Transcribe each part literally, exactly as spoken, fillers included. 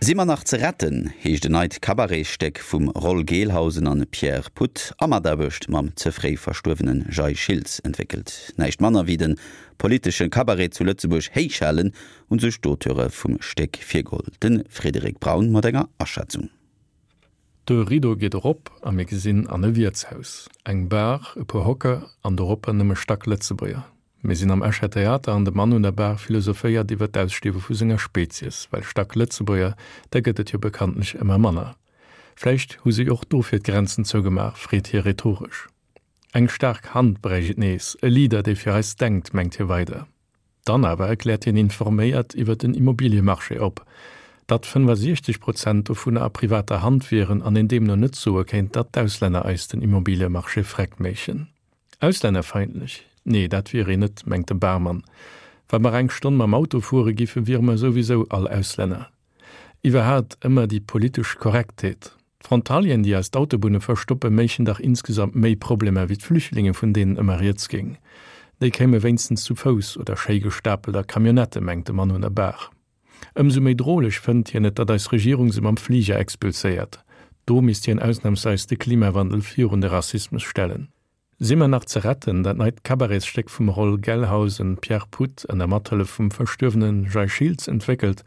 Si mer nach ze retten heescht en neit Cabaretstéck vum Roll Gelhausen an Pierre Puth a Mataarbecht mam ze fréi verstuerwene Jay Schiltz entwéckelt. Näischt manner wéi de politesche Cabaret zu Lëtzebuerg héichhalen hunn sech d'Auteure vum Stéck virgeholl. De Frédéric Braun mat enger Aschätzung. De Rido geet erop a mir gesinn an e Wiertshaus. Eng Bar, e puer Hocker an doropper nëmme Stacklëtzebuerger. Mir sinn am Escher Theater an de Mann un der Bar philosophéiert iwwer d'Ausstierwe vu senger Spezies, well Stacklëtzebuerger, der gëtt et jo bekanntlech ëmmer manner. Vläicht hu si och dofir d'Grenzen zougemaach, freet hie rhetoresch. Eng staark Hand bräicht et nees, e Leader, dee fir eis denkt, mengt hie weider. Dann awer erkläert hien informéiert iwwer den Immobiliemarché op, datt fënnefasiechzeg Prozent dovunner a privater Hand wieren an een deemno net soe kéint, datt d'Auslänner eis den Immobiliemarché freck méichen. Auslännerfeindlech? Nee, dat wier een net, mengt de Barmann. Wa mer eng Stonn mam Auto fuere giffe wiere mer souwisou all Auslänner. Iwwerhaapt ëmmer déi politesch Korrektheet. D'Frontalieren, déi eis d'Autobunne verstoppen, méichen dach insgesamt méi Problemer wéi d'Flüchtlinge vun deenen ëmmer rieds géing. Déi kéime wéinstens zu Fouss oder schéi gestapelt a Camionnettë, mengt de Mann un der Bar. Ëmsou méi droleg fënnt hien et, datt eis Regierung se mam Fliger expulséiert. Do misst hien ausnamsweis de Klimawandel virun de Rassismus stellen. Si mer nach ze retten, dat neit Cabaretstéck vum Roll Gelhausen, Pierre Puth ënner Mathëllef vum verstuerwene Jay Schiltz entwéckelt,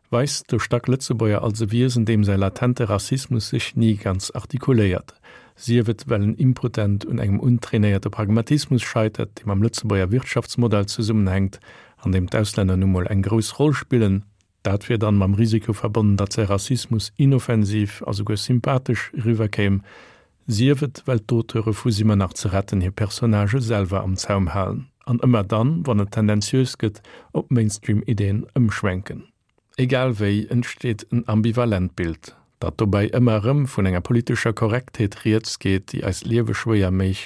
weist de Stacklëtzebuerger als e Wiesen, deem säi latente Rassismus sech ni ganz artikuléiert, sief et well en impotent un engem untrainéierte Pragmatismus scheitert, dee mam Lëtzebuerger Wirtschaftsmodell zesummenhänkt, an deem d'Auslänner nu mol eng grouss Roll spillen, Dat wier dann mam Risiko verbonnen, datt säi Rassismus inoffensiv a souguer sympathesch eriwwerkéim, sief et well d'Auteure vu Si mer nach ze retten hir Personnagë selwer am Zaum halen an ëmmer dann, wann et tendenziös gëtt, op Mainstream-Ideen ëmschwenken. Egal wéi entsteet en ambivalent Bild. Datt dobäi ëmmer erëm vun enger politescher Korrektheet rieds geet, déi eist Liewe schwéier méich,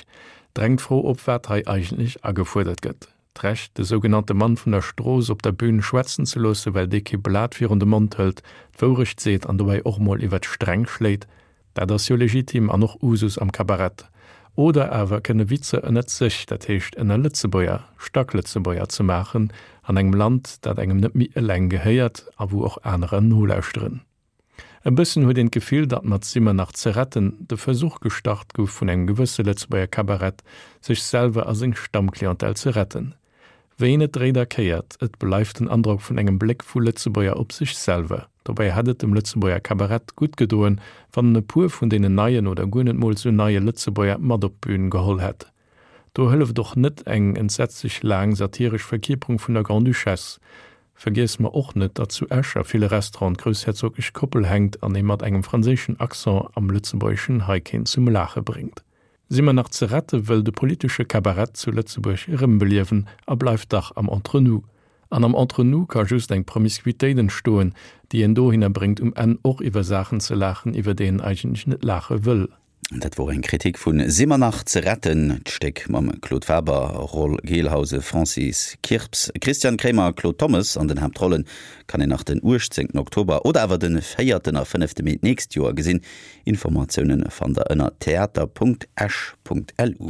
drängt d'Fro op, wat hei eigentlech agefuerdert gëtt. D'Recht, de sougenannte Mann vun der Strooss op der Bün schwätzen ze loossen, well dee kee Blat virun de Mond hëlt, d'Wourecht seet an dobäi och mol iwwer d'Sträng schléit, dat ass jo legitim an och Usus am Kabarett. Oder awer kënne Witzer ënnert sech, dat heescht ënner Lëtzebuerger, Stacklëtzebuerger ze maachen, an engem Land, dat engem net méi eleng gehéiert a wou och anerer nolauschteren. E bëssen huet een d'Gefill, datt mat Si mer nach ze retten de Versuch gestart gouf vun engem gewësse Lëtzebuerger Kabarett, sech selwer a seng Stammclientèle ze retten. Wéi een et dréit a kéiert, et bleift den Androck vun engem Bléck vu Lëtzebuerger op sech selwer. Dobäi hätt et dem Lëtzebuerger Kabarett gutt gedoen, wann en e puer vun deenen neien oder guer net mol sou neie Lëtzebuerger mat op d'Bün geholl hätt. Do hëlleft och net eng entsetzlech laang satiresch Verkierperung vun der Grande-Duchesse. Vergiesse mer och net, datt zu Esch a ville Restauranten d'groussherzoglech Koppel hänkt an ee mat engem franséischen Accent am Lëtzebuergeschen hei keen zum Laache bréngt. Si mer nach ze rette wëll de politesche Kabarett zu Lëtzebuerg erëmbeliewen a bleift dach am Entre-nous. An am Entre-nous ka just eng Promiscuitéit entstoen, déi een dohinner bréngt, um Enn och iwwer Saachen ze laachen, iwwer déi een eigentlech net laache wëll. Dat wor eng Kritik vun Si mer nach ze retten, d'Stéck mam Claude Faber, Roll Gelhausen, Francis Kirps, Christian Kremer a Claude Thommes an den Haaptrollen, kann een nach den uechtzéngten Oktober oder awer den véierten a fënnefte Mee d'nächst Joer gesinn. Informatioune fannt der ënner theater.esch.lu.